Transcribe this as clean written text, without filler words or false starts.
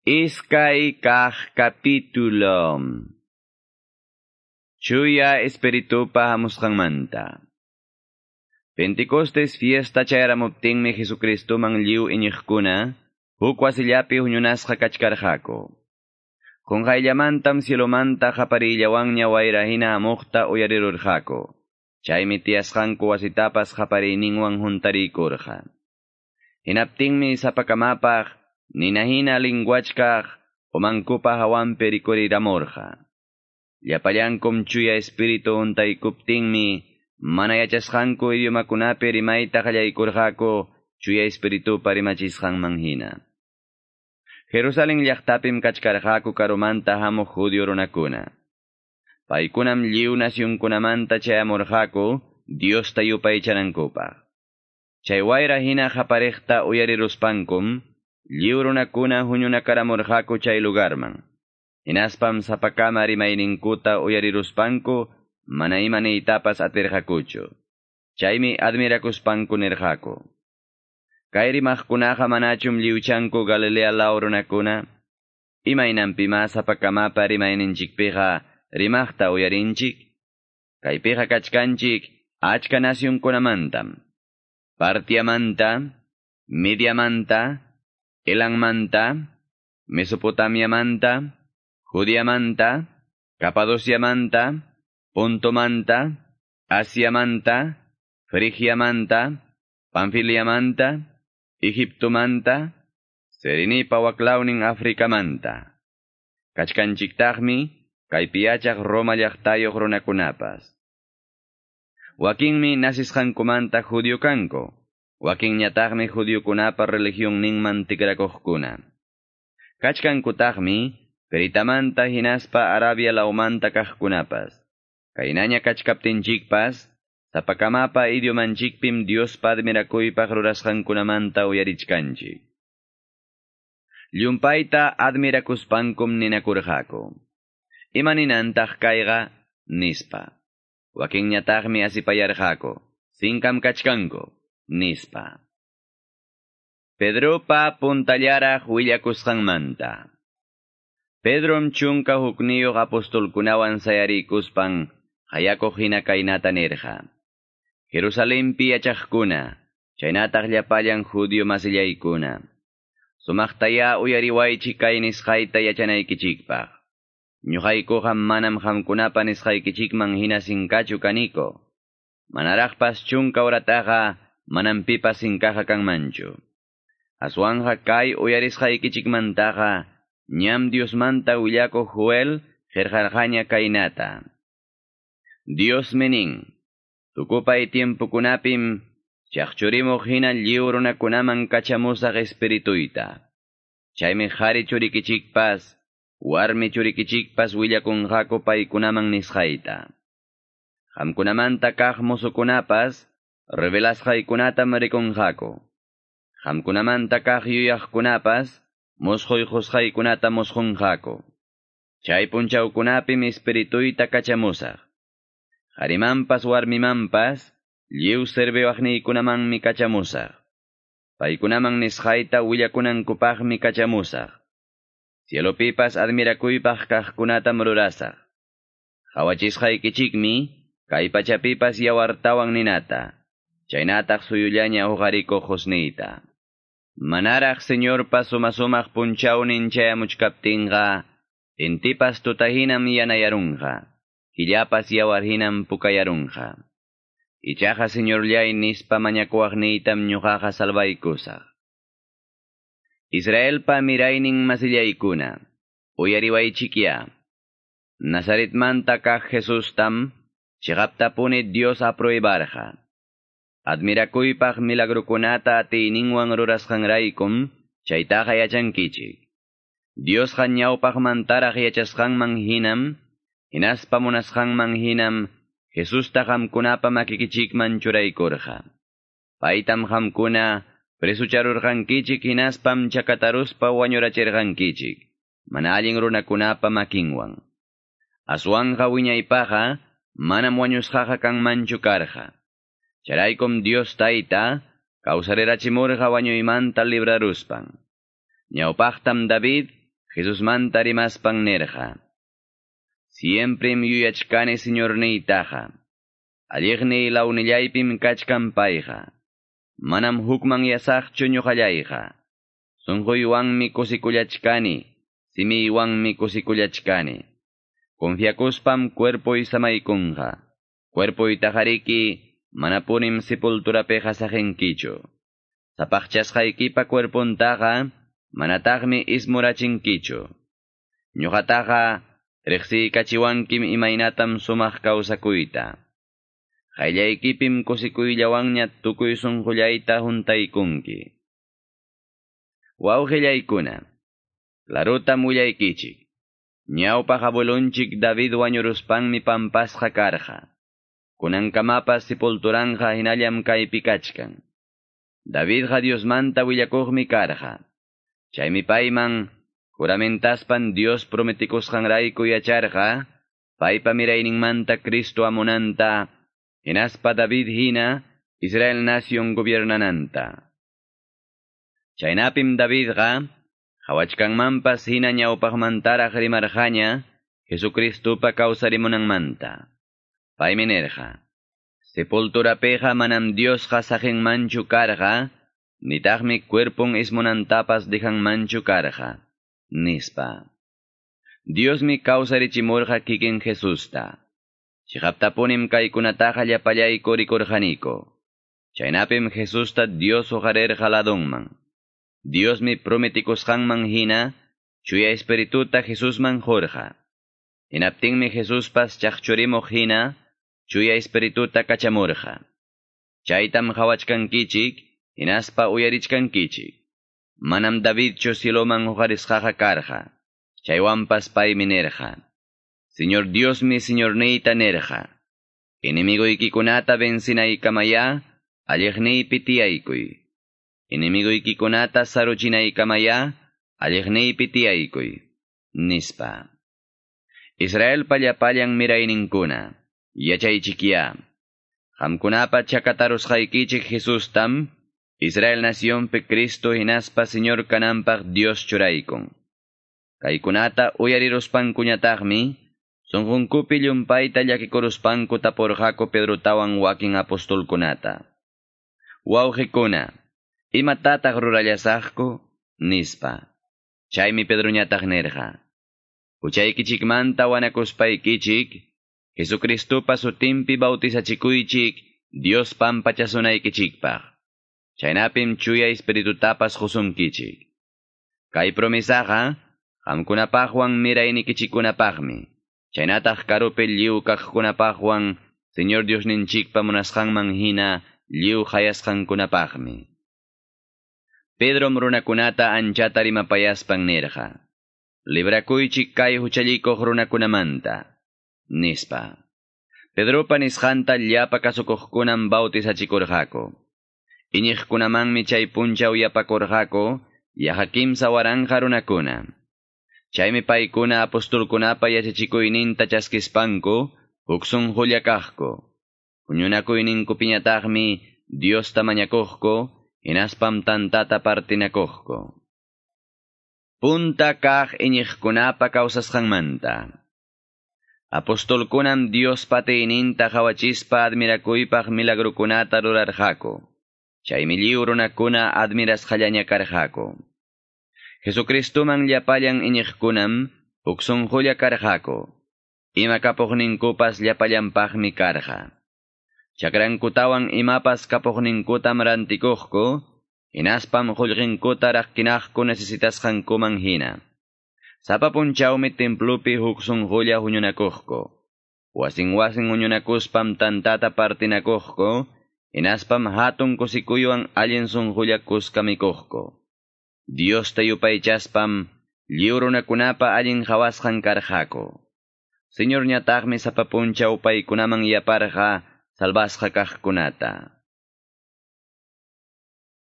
Iskay kaq capítulo. Chuya Espiritupa hamusqanmanta. Pentecostes fiesta chayaramuptinmi Jesucristoman lliw iñiqkuna, huk wasillapi huñunasqa kachkarqaku. Qunqayllamantam cielomanta qaparillawanña wayra hina hamuqta uyarirurqaku. Chaymi tiyasqanku wasitapas qapariyninwan huntarikurqa. Hinaptinmi sapakamapaq nina hina linguachkaq umankupa hawanpi rikuriramurqa. Llapallankum chuya espíritu huntaykuptinmi mana yachasqanku idiomakunapi rimayta qallaykurqaku chuya espiritupa rimachisqanman hina. Jerusalén llaqtapim kachkarqaku karumanta hamuq judío runakuna. Paykunam lliw nacionkunamanta chayamurqaku Diosta yupaychanankupaq. Chay wayra hina qapariqta uyariruspankum lliw runakuna huñunakaramurqaku chay lugarman. Hinaspam sapakama rimayninkuta uyariruspanku mana ima niytapas atirqakuchu. Chaymi admirakuspanku nirqaku. Kay rimaqkunaqa manachum lliwchanku Galilea law runakuna? Imaynanpimá sapakamapa rimayninchikpiqa rimaqta uyarinchik? Kaypiqa kachkanchik achka nacionkunamantam. Partiamanta, Mediamanta, Elanmanta, Mesopotamiamanta, Judiamanta, Capadociamanta, Pontomanta, Asiamanta, Frigiamanta, Panfiliamanta, Egiptomanta, Serenipa waklawnin Africamanta. Kachkanchiktaqmi kaypi yachaq Roma llaqtayuq runakunapas. Wakinmi nasisqankumanta judío kanku, wakinñataqmi judiokunapa religionninman tikrakuqkuna. Kachkankutaqmi Ceritamanta hinaspa Arabia lawmanta kaqkunapas. Kaynaña kachkaptinchikpas, sapakamapa idiomanchikpim Diospa admirakuypaq rurasqankunamanta uyarichkanchik. Llumpayta admirakuspankum ninakurqaku. Imaninantaq kayqa? Nispa. Wakinñataqmi asipayarqaku. Sinkam kachkanku. Nispa. Pedropa puntallaraq willakusqanmanta. Pedrom chunka hukniyuq apostolkunawan sayarikuspan hayakuq hina kaynata nirqa. Jerusalempi yachaqkuna, chaynataq llapallan judío masillaykuna. Sumaqtayá uyariwaychik kay nisqayta yachanaykichikpaq. Ñuqaykuqa manam qamkunapa nisqaykichikman hina sinkachu kaniko. Manaraqpas chunka horataqa manam pipas sinkaqa kanmanchu. Aswanja kay uyarisqaykichikmantaqa ñam Diosmanta willakuq Joel qillqarqaña kaynata. Diosmi nin, tukupay tiempokunapim chaqchurimuq hina lliw runakunaman kachamusaq espirituyta. Chaymi qhari churikichikpas, warmi churikichikpas willakunqaku paykunaman nisqayta. Qamkunamanta kaq mozokunapas revelasqaykunatam rikunqaku. Qamkunamanta kaq yuyaqkunapas musquyqusqaykunata musqunqaku. Chay punchawkunapim espirituyta kachamusaq. Qharimanpas warmimanpas lliw serviwaqniykunamanmi kachamusaq. Paykunaman nisqayta willakunankupaqmi kachamusaq. Cielopipas admirakuypaq kaqkunatam rurasaq. Qhawachisqaykichikmi kay pachapipas yawartawan ninata, chaynataq suyullaña uqarikuq qusniyta. Manaraq Señorpa suma-sumaq punchawnin chayamuchkaptinqa, intipas tutahinam yanayarunqa, killapas yawarhinam pukayarunqa. Ichaqa Señorllay nispa mañakuwaqniytam ñuqaqa salvaykusaq. Israelpa miraynin masillaykuna, uyariwaychikya. Nazaretmanta kaq Jesustam, chiqaptapuni Dios apruebarqa. Admirakuypaq milagrukunata atiyninwan rurasqanraykum, chaytaqa yachankichik. Diosqa ñawpaqmantaraq yachasqanman hinam, hinaspa munasqanman hinam, Jesusta qamkunapa makikichikman churaykurqa. Paytam qamkuna presucharurqankichik hinaspam chakataruspa wañurachirqankichik, mana allin runakunapa makinwan. Aswanja wiñaypaqa manam wañusqaqa kanmanchu karqa. Chayraykum Dios tayta kawsarirachimurqa wañuymanta libraruspan. Ñawpaqtam David Jesusmanta rimaspan nirqa: Siemprem yuyachkani Señorniytaqa. Alliqniy lawnillaypim kachkan payqa. Manam hukmanyasaqchu ñuqallayqa. Sunquywanmi kusikullachkani, simiywanmi kusikullachkani. Confiakuspam cuerpoy samaykunqa. Cuerpoytaqariki manapunim sepulturapiqa saqinkichu. Sapaqchasqaykipa cuerpontaqa manataqmi ismurachinkichu. Ñuqataqa riqsiykachiwankim imaynatam sumaq kawsakuyta. Qayllaykipim kusikuyllawanña tukuy sunqullayta huntaykunki. Wawqillaykuna, clarutam willaykichik. Ñawpaq abuelonchik David wañuruspanmi pampasqa karqa. Kunankamapas sepulturanqa hinallam kaypi kachkan. Davidqa Diosmanta willakuqmi karqa. Chaymi payman juramentaspan Dios prometikusqanrayku yacharqa, paypa mirayninmanta Cristo amunanta, hinaspa David hina Israel nación gobiernananta. Chaynapim Davidqa qawachkanmanpas hina ñawpaqmantaraq rimarqaña Jesucristupa kawsarimunanmanta. Paymi nirqa: Sepulturapiqa manam Diosqa saqinmanchu karqa, nitaqmi cuerpon ismunantapas dejanmanchu karqa, nispa. Diosmi kawsarichimurqa kikin Jesusta. Chiqaptapunim kaykunataqa llapallayku rikurqaniku. Chaynapim Jesusta Dios huqarirqa ladunman. Diosmi prometikusqanman hina Chuya Espirituta Jesusman qurqa. Hinaptinmi Jesuspas chaqchurimuq hina Chuya Espirituta kachamurqa. Chaytam qawachkankichik, hinaspa uyarichkankichik. Manam Davidchu cieloman huqarisqaqa karqa. Chaywanpas paymi nirqa: Señor Diosmi Señorniyta nirqa: Enemigoykikunata vencinaykamaya, alliqniypi tiyaykuy. Enemigoykikunata saruchinaykamaya, alliqniypi tiyaykuy, nispa. Israelpa llapallan mirayninkuna, yachaychikyá. Qamkunapa chakatarusqaykichik Jesustam, Israel nacionpi Cristo hinaspa Señor kananpaq Dios churaykun. Kaykunata uyariruspankuñataqmi, sunqunkupi llumpayta llakikuruspanku tapurqaku Pedrotawan wakin apostolkunata: Wawqikuna, imatataq rurallasaqku? Nispa. Chaymi Pedroñataq nirqa: Huchaykichikmanta wanakuspaykichik, Jesucristupa sutinpi bautizachikuychik Dios pampachasunaykichikpaq. Chaynapim Chuya Espiritutapas qusunkichik. Kay promesaqa qamkunapaqwan miraynikichikkunapaqmi. Chaynataq karupi lliw kaqkunapaqwan Señor Diosninchikpa munasqanman hina lliw qayasqankunapaqmi. Pedrom runakunata anchata rimapayaspan nirqa: Librakuychik kay huchallikuq runakunamanta, nispa. Pedropa nisqanta llapa kasukuqkunam bautizachikurqaku. Iñiqkunamanmi chay punchaw yapakurqaku yaqa 3000 runakuna. Chaymi paykuna apostolkunapa yachachikuyninta chaskispanku huk sunqulla kaqku. Huñunakuyninkupiñataqmi Diosta mañakuqku, hinaspam tantata partinakuqku. Punta kaq iñiqkunapa kawsasqanmanta. Apostolkunam Diospa atiyninta qawachispa admirakuypaq milagrukunata rurarqaku. Chaymi lliw runakuna admirasqallaña karqaku. Jesucristuman llapallan iñiqkunam huk sunqulla karqaku. Ima kapuqninkupas llapallanpaqmi karqa. Chakrankutawan imapas kapuqninkutam rantikuqku, hinaspam qullqinkuta raqkinaqku necesitasqankuman hina. Sapa punchawmi templopi huk sunqulla huñunakuqku. Wasin wasin huñunakuspam tantata partinakuqku, hinaspam hatun kusikuywan allin sunqulla kuska mikuqku. Diosta yupaychaspam lliw runakunapa allin qawasqan karqaku. Señorñataqmi sapa punchaw paykunaman yaparqa salvasqa kaqkunata.